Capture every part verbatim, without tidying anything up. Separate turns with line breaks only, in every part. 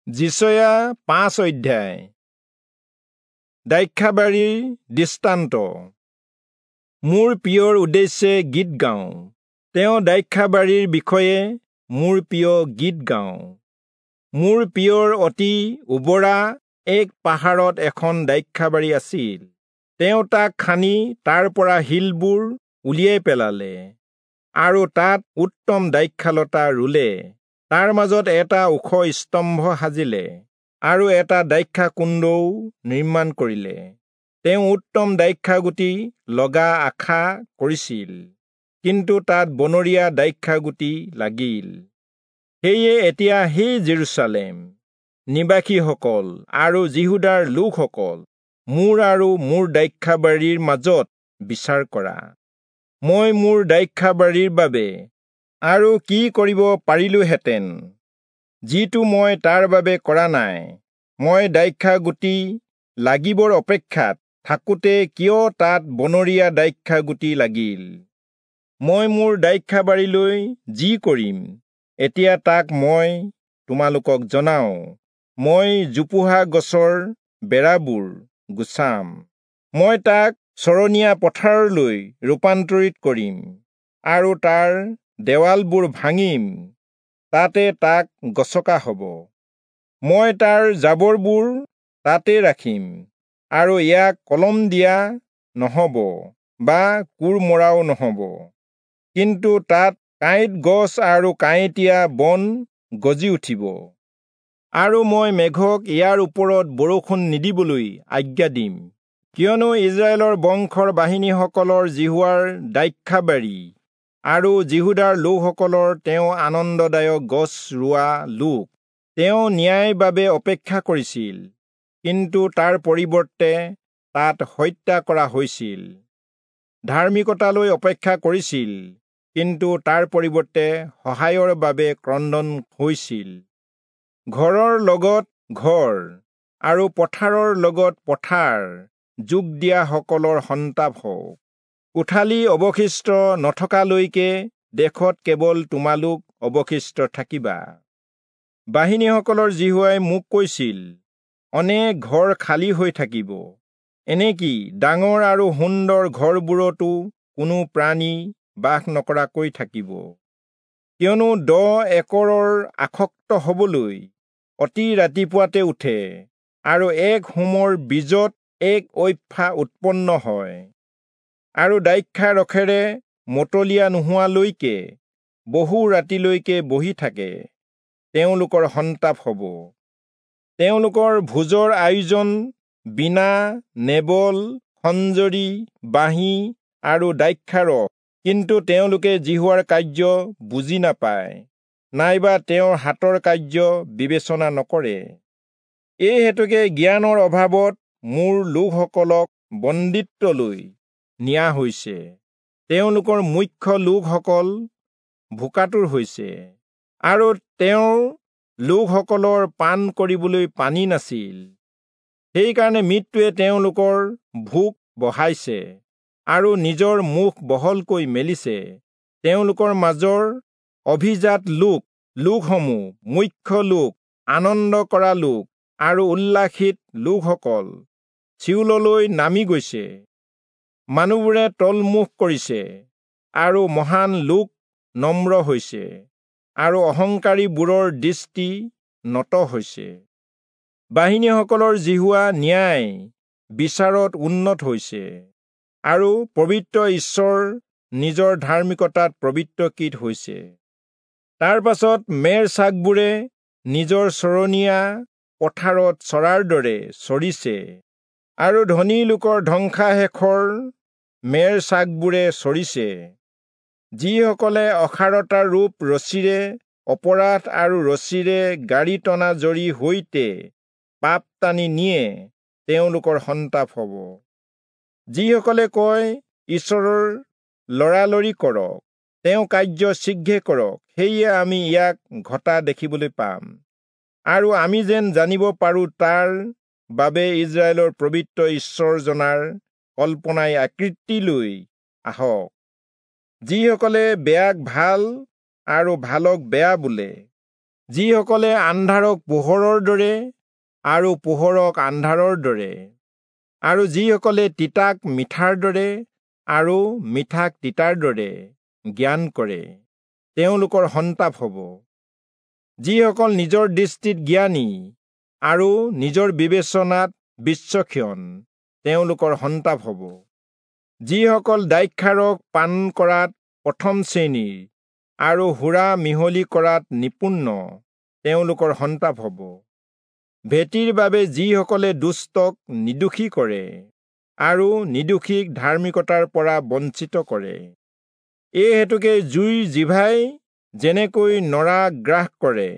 যিচয়া পাঁচ অধ্যায়। দ্ৰাক্ষাবাৰীৰ দৃষ্টান্ত। মোৰ প্ৰিয়ৰ উদ্দেশ্যে গীত গাওঁ, তেওঁ দ্ৰাক্ষাবাৰীৰ বিষয়ে মোৰ প্ৰিয় গীত গাওঁ। মোৰ প্ৰিয়ৰ অতি উবৰা এক পাহাৰত এখন দ্ৰাক্ষাবাৰী আছিল। তেওঁ তাক খানি তাৰ পৰা শিলবোৰ উলিয়াই পেলালে আৰু তাত উত্তম দ্ৰাক্ষালতা ৰুলে। তাৰ মাজত এটা ওখ স্তম্ভ সাজিলে আৰু এটা দ্ৰাক্ষাকুণ্ডও নিৰ্মাণ কৰিলে। তেওঁ উত্তম দ্ৰাক্ষাগুটি লগা আশা কৰিছিল, কিন্তু তাত বনৰীয়া দ্ৰাক্ষাগুটি লাগিল। সেয়ে এতিয়া হে জেৰুচালেম নিবাসীসকল আৰু যিহূদাৰ লোকসকল, মোৰ আৰু মোৰ দ্ৰাক্ষাবাৰীৰ মাজত বিচাৰ কৰা। মই মোৰ দ্ৰাক্ষাবাৰীৰ বাবে আৰু কি কৰিব পাৰিলোহেঁতেন, যিটো মই তাৰ বাবে কৰা নাই? মই দ্ৰাক্ষাগুটি লাগিবৰ অপেক্ষাত থাকোঁতে কিয় তাত বনৰীয়া দ্ৰাক্ষাগুটি লাগিল? মই মোৰ দ্ৰাক্ষাবাৰীলৈ যি কৰিম, এতিয়া তাক মই তোমালোকক জনাওঁ। মই জোপোহা গছৰ বেৰাবোৰ গুচাম, মই তাক চৰণীয়া পথাৰলৈ ৰূপান্তৰিত কৰিম আৰু তাৰ দেৱালবোৰ ভাঙিম, তাতে তাক গছকা হ'ব। মই তাৰ জাবৰবোৰ তাতে ৰাখিম আৰু ইয়াক কলম দিয়া নহ'ব বা কোৰ মৰাও নহ'ব, কিন্তু তাত কাঁইট গছ আৰু কাঁইটীয়া বন গজি উঠিব। আৰু মই মেঘক ইয়াৰ ওপৰত বৰষুণ নিদিবলৈ আজ্ঞা দিম, কিয়নো ইস্ৰায়েলৰ বংশৰ বাহিনীসকলৰ যিহোৱাৰ দ্ৰাক্ষাবাৰী আৰু যিহূদাৰ লোকসকলৰ তেওঁ আনন্দদায়ক গছ ৰোৱা লোক। তেওঁ ন্যায়ৰ বাবে অপেক্ষা কৰিছিল, কিন্তু তাৰ পৰিৱৰ্তে তাত হত্যা কৰা হৈছিল। ধাৰ্মিকতালৈ অপেক্ষা কৰিছিল, কিন্তু তাৰ পৰিৱৰ্তে সহায়ৰ বাবে ক্ৰন্দন হৈছিল। ঘৰৰ লগত ঘৰ আৰু পথাৰৰ লগত পথাৰ যোগ দিয়াসকলৰ সন্তাপ হওক। কোঠালি অৱশিষ্ট নথকালৈকে দেশত কেৱল তোমালোক অৱশিষ্ট থাকিবা। বাহিনীসকলৰ যিহোৱাই মোক কৈছিল, অনেক ঘৰ খালী হৈ থাকিব, এনেকি ডাঙৰ আৰু সুন্দৰ ঘৰবোৰতো কোনো প্ৰাণী বাস নকৰাকৈ থাকিব। কিয়নো দহ একৰৰ আসক্ত হবলৈ অতি ৰাতিপুৱাতে উঠে আৰু এক হোমৰ বীজত এক ঐফা উৎপন্ন হয়, আৰু দ্ৰাক্ষা ৰসেৰে মতলীয়া নোহোৱালৈকে বহু ৰাতিলৈকে বহি থাকে, তেওঁলোকৰ সন্তাপ হ'ব। তেওঁলোকৰ ভোজৰ আয়োজন বীণা, নেবল, খঞ্জৰী, বাঁহী আৰু দ্ৰাক্ষাৰস, কিন্তু তেওঁলোকে যিহোৱাৰ কাৰ্য বুজি নাপায়, নাইবা তেওঁৰ হাতৰ কাৰ্য বিবেচনা নকৰে। এই হেতুকে জ্ঞানৰ অভাৱত মোৰ লোকসকলক বন্দীত্বলৈ নিয়া হৈছে, তেওঁলোকৰ মুখ্য লোকসকল ভোকাতুৰ হৈছে, আৰু তেওঁৰ লোকসকলৰ পান কৰিবলৈ পানী নাছিল। সেইকাৰণে মৃত্যুৱে তেওঁলোকৰ ভোক বঢ়াইছে আৰু নিজৰ মুখ বহলকৈ মেলিছে। তেওঁলোকৰ মাজৰ অভিজাত লোক, লোকসমূহ, মুখ্য লোক, আনন্দ কৰা লোক আৰু উল্লাসিত লোকসকল চিয়োললৈ নামি গৈছে। মানুহবোৰে তলমুখ কৰিছে আৰু মহান লোক নম্ৰ হৈছে আৰু অহংকাৰীবোৰৰ দৃষ্টি নত হৈছে। বাহিনীসকলৰ যিহোৱা ন্যায় বিচাৰত উন্নত হৈছে আৰু পবিত্ৰ ঈশ্বৰ নিজৰ ধাৰ্মিকতাত পবিত্ৰকৃত হৈছে। তাৰ পাছত মেৰ ছাগবোৰে নিজৰ চৰণীয়া পথাৰত চৰাৰ দৰে চৰিছে আৰু ধনী লোকৰ ধ্বংসাশেষৰ মেৰ ছাগবোৰে চৰিছে। যিসকলে অসাৰতাৰ ৰূপ ৰছীৰে অপৰাধ আৰু ৰছীৰে গাড়ী টনা জৰী সৈতে পাপ টানি নিয়ে, তেওঁলোকৰ সন্তাপ হ'ব। যিসকলে কয়, ঈশ্বৰৰ লৰালৰি কৰক, তেওঁ কাৰ্য শীঘ্ৰে কৰক, সেয়ে আমি ইয়াক ঘটা দেখিবলৈ পাম, আৰু আমি যেন জানিব পাৰোঁ তাৰ বাবে ইস্ৰায়েলৰ পবিত্ৰ ঈশ্বৰজনাৰ কল্পনাই আকৃতি লৈ আহক। যিসকলে বেয়াক ভাল আৰু ভালক বেয়া বোলে, যিসকলে আন্ধাৰক পোহৰৰ দৰে আৰু পোহৰক আন্ধাৰৰ দৰে, আৰু যিসকলে তিতাক মিঠাৰ দৰে আৰু মিঠাক তিতাৰ দৰে জ্ঞান কৰে, তেওঁলোকৰ সন্তাপ হ'ব। যিসকল নিজৰ দৃষ্টিত জ্ঞানী আৰু নিজৰ বিবেচনাত বিচক্ষণ, তেওঁলোকৰ সন্তাপ হ'ব। যিসকল দ্ৰাক্ষাৰস পান কৰাত প্ৰথম শ্ৰেণীৰ আৰু সুৰা মিহলি কৰাত নিপুণ, তেওঁলোকৰ সন্তাপ হ'ব। ভেটিৰ বাবে যিসকলে দুষ্টক নিৰ্দোষী কৰে আৰু নিৰ্দোষীক ধাৰ্মিকতাৰ পৰা বঞ্চিত কৰে। এই হেতুকে জুইৰ জিভাই যেনেকৈ নৰা গ্ৰাস কৰে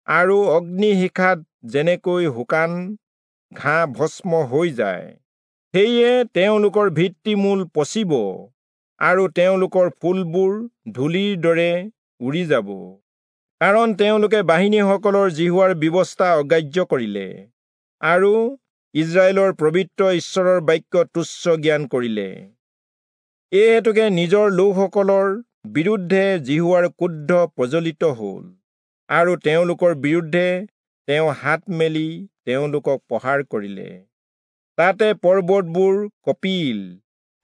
আৰু অগ্নিশিখাত যেনেকৈ শুকান ঘাঁহ ভস্ম হৈ যায়, সেয়ে তেওঁলোকৰ ভিত্তিমূল পচিব আৰু তেওঁলোকৰ ফুলবোৰ ধূলিৰ দৰে উৰি যাব। কাৰণ তেওঁলোকে বাহিনীসকলৰ যিহোৱাৰ ব্যৱস্থা অগ্ৰাহ্য কৰিলে আৰু ইস্ৰায়েলৰ পবিত্ৰ ঈশ্বৰৰ বাক্য তুচ্ছ জ্ঞান কৰিলে। এই হেতুকে নিজৰ লোকসকলৰ বিৰুদ্ধে যিহোৱাৰ ক্ৰোধ প্ৰজ্বলিত হ'ল আৰু তেওঁলোকৰ বিৰুদ্ধে তেওঁ হাত মেলি তেওঁলোকক প্ৰহাৰ কৰিলে। তাতে পৰ্বতবোৰ কঁপিল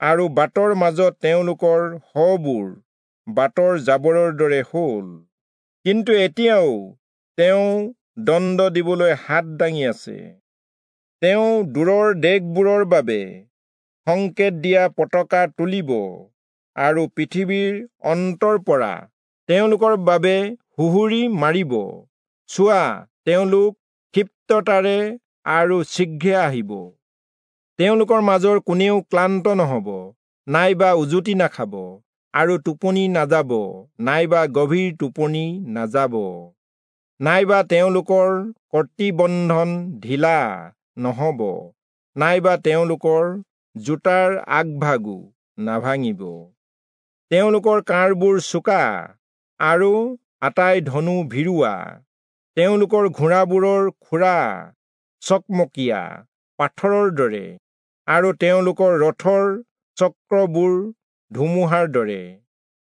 আৰু বাটৰ মাজত তেওঁলোকৰ শৱবোৰ বাটৰ জাবৰৰ দৰে হ'ল। কিন্তু এতিয়াও তেওঁ দণ্ড দিবলৈ হাত দাঙি আছে। তেওঁ দূৰৰ দেশবোৰৰ বাবে সংকেত দিয়া পতাকা তুলিব আৰু পৃথিৱীৰ অন্তৰ পৰা তেওঁলোকৰ বাবে সুহুৰি মাৰিব। চোৱা, তেওঁলোক ক্ষিপ্ৰতাৰে আৰু শীঘ্ৰে আহিব। তেওঁলোকৰ মাজৰ কোনেও ক্লান্ত নহ'ব, নাইবা উজুতি নাখাব, আৰু টোপনি নাযাব, নাইবা গভীৰ টোপনি নাযাব, নাইবা তেওঁলোকৰ কৰ্তৃবন্ধন ঢিলা নহ'ব, নাইবা তেওঁলোকৰ জোতাৰ আগভাগো নাভাঙিব। তেওঁলোকৰ কাঁড়বোৰ চোকা আৰু আটাই ধনু ভিৰোৱা। তেওঁলোকৰ ঘোঁৰাবোৰৰ খুৰা চকমকীয়া পাথৰৰ দৰে আৰু তেওঁলোকৰ ৰথৰ চক্ৰবোৰ ধুমুহাৰ দৰে।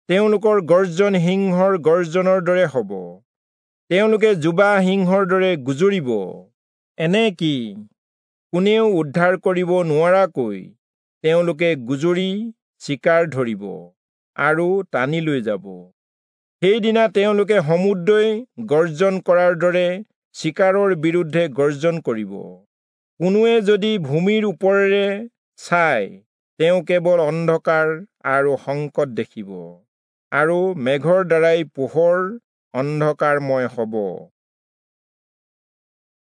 তেওঁলোকৰ গৰ্জন সিংহৰ গৰ্জনৰ দৰে হ'ব। তেওঁলোকে যুৱা সিংহৰ দৰে গুজৰিব, এনেকি কোনেও উদ্ধাৰ কৰিব নোৱাৰাকৈ তেওঁলোকে গুজৰি চিকাৰ ধৰিব আৰু টানি লৈ যাব। সেইদিনা তেওঁলোকে সমুদ্ৰই গৰ্জন কৰাৰ দৰে চিকাৰৰ বিৰুদ্ধে গৰ্জন কৰিব। কোনোৱে যদি ভূমিৰ ওপৰেৰে চায়, তেওঁ কেৱল অন্ধকাৰ আৰু সংকট দেখিব, আৰু মেঘৰ দ্বাৰাই পোহৰ অন্ধকাৰময় হ'ব।